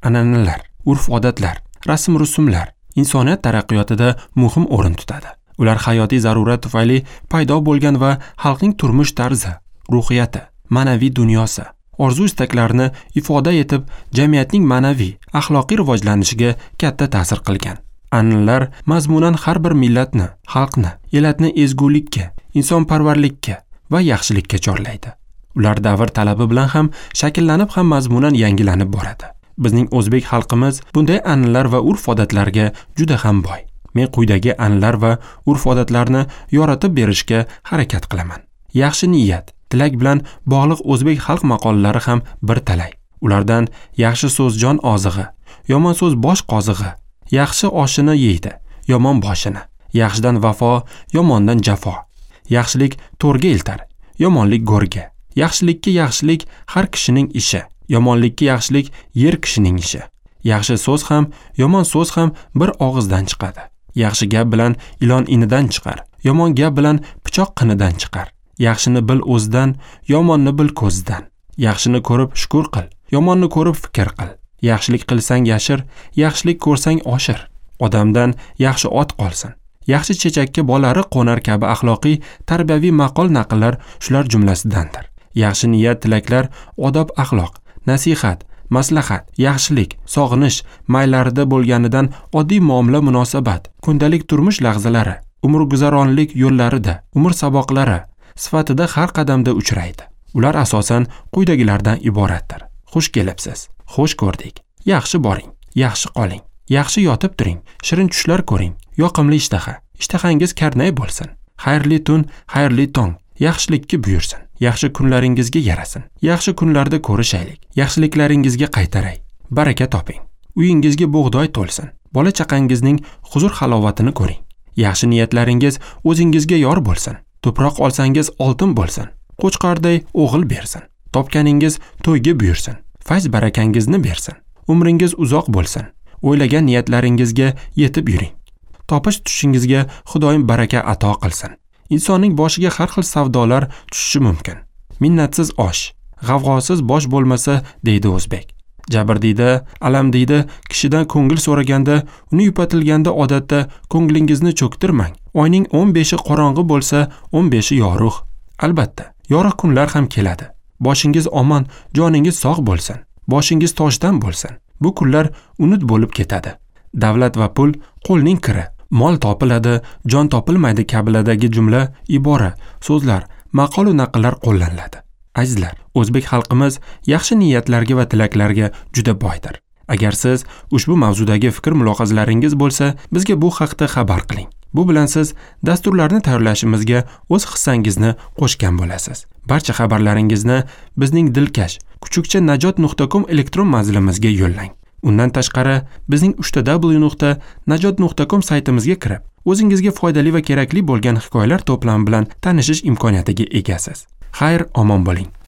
An'analar, urf-odatlar, rasm-rusumlar insoniyat taraqqiyotida muhim o'rin tutadi. Ular hayotiy zarurat tufayli paydo bo'lgan va xalqning turmush tarzi, ruhiyati, ma'naviy dunyosi, orzu-istaklarini ifoda etib, jamiyatning ma'naviy, axloqiy rivojlanishiga katta ta'sir qilgan. An'analar mazmunan har bir millatni, xalqni, elatni ezgulikka, insonparvarlikka va yaxshilikka chorlaydi. Ular davr talabi bilan ham shakllanib, ham mazmunan yangilanib boradi. Bizning o'zbek xalqimiz bunday an'analar va urf-odatlarga juda ham boy. Men quyidagi an'analar va urf-odatlarni yoritib berishga harakat qilaman. Yaxshi niyat, tilak bilan bog'liq o'zbek xalq maqollari ham bir talay. Ulardan yaxshi so'z jon ozig'i, yomon so'z bosh qozig'i, yaxshi oshini yeydi, yomon boshini, yaxshidan vafo, yomondan jafo, yaxshilik to'rga eltar, yomonlik go'rga, yaxshilikka yaxshilik har kishining ishi, yomonlikka yaxshilik yer kishining ishi. Yaxshi so'z ham, yomon so'z ham bir og'izdan chiqadi. Yaxshi gap bilan ilon inidan chiqar, yomon gap bilan pichoq qinidan chiqar. Yaxshini bil o'zidan, yomonni bil ko'zidan. Yaxshini ko'rib shukr qil, yomonni ko'rib fikr qil. Yaxshilik qilsang yashir, yaxshilik ko'rsang oshir. Odamdan yaxshi ot qolsin. Yaxshi chechakka bolari qo'nar kabi axloqiy, tarbiyaviy maqol naqllar shular jumlasidandir. Yaxshi niyat, tilaklar, odob, axloq, nasihat, maslahat, yaxshilik, sog'inish maylarida bo'lganidan oddiy muomala munosabat, kundalik turmush lahzalari, umrguzaronlik yo'llarida, umr saboqlari sifatida har qadamda uchraydi. Ular asosan quyidagilardan iboratdir. Xush kelibsiz, xush ko'rdik, yaxshi boring, yaxshi qoling, yaxshi yotib turing, shirin tushlar ko'ring, yoqimli ishtaha, ishtahangiz karnay bo'lsin, xayrli tun, xayrli tong, yaxshilikka buyursin, yaxshi kunlaringizga yarasin, yaxshi kunlarda ko'rishaylik, yaxshiliklaringizga qaytaray, baraka toping, uyingizga bug'doy to'lsin, bola chaqangizning huzur halovatini ko'ring, yaxshi niyatlaringiz o'zingizga yor bo'lsin, tuproq olsangiz oltin bo'lsin, qo'chqorday o'g'il bersin, topganingiz to'yga buyursin, fayz barakangizni bersin, umringiz uzoq bo'lsin, o'ylagan niyatlaringizga yetib yuring, topish tushingizga Xudoyim baraka ato qilsin. Insonning boshiga har xil savdolar tushishi mumkin. Minnatsiz osh, g'avg'osiz bosh bo'lmasa, deydi o'zbek. Jabr deydi, alam deydi, kishidan ko'ngil so'raganda, uni yupatilganda odatda ko'nglingizni cho'ktirmang. Oyning 15i qorong'i bo'lsa, 15i yorug'. Albatta, yorug' kunlar ham keladi. Boshingiz omon, joningiz sog' bo'lsin. Boshingiz toshdan bo'lsin. Bu kunlar unut bo'lib ketadi. Davlat va pul qo'lning kiri. Mol topiladi, jon topilmaydi kabiladagi jumla, ibora, so'zlar, maqol va naqllar qo'llaniladi. Azizlar, o'zbek xalqimiz yaxshi niyatlarga va tilaklarga juda boydir. Agar siz ushbu mavzudagi fikr mulohazalaringiz bo'lsa, bizga bu haqda xabar qiling. Bu bilan siz dasturlarni tayyorlashimizga o'z hissangizni qo'shgan bo'lasiz. Barcha xabarlaringizni bizning dilkash kuchukcha najot.com elektron manzilimizga yo'llang. Undan tashqari bizning www.najot.com saytimizga kirib, o'zingizga foydali va kerakli bo'lgan hikoyalar to'plami bilan tanishish imkoniyatiga egasiz. Xayr, omon bo'ling.